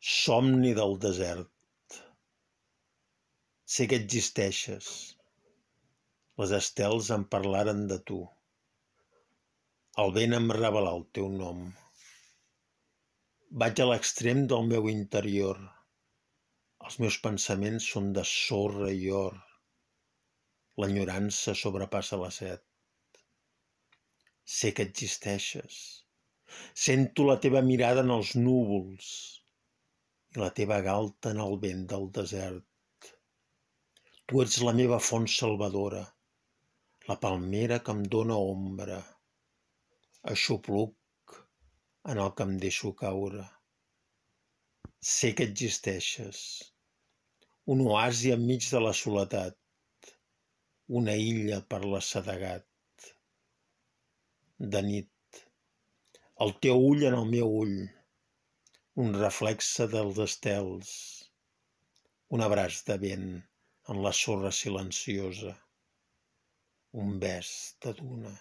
Somni del desert. Sé que existeixes. Les estels em parlaren de tu. El vent em revelà el teu nom. Vaig a l'extrem del meu interior. Els meus pensaments són de sorra i or. L'enyorança sobrepassa la set. Sé que existeixes. Sento la teva mirada en els núvols i la teva galta en el vent del desert. Tu ets la meva font salvadora, la palmera que em dóna ombra, aixopluc en el que em deixo caure. Sé que existeixes, un oasi enmig de la soledat, una illa per l'assedegat. De nit, el teu ull en el meu ull, un reflexe dels estels, un abraç de vent en la sorra silenciosa, un bes de duna.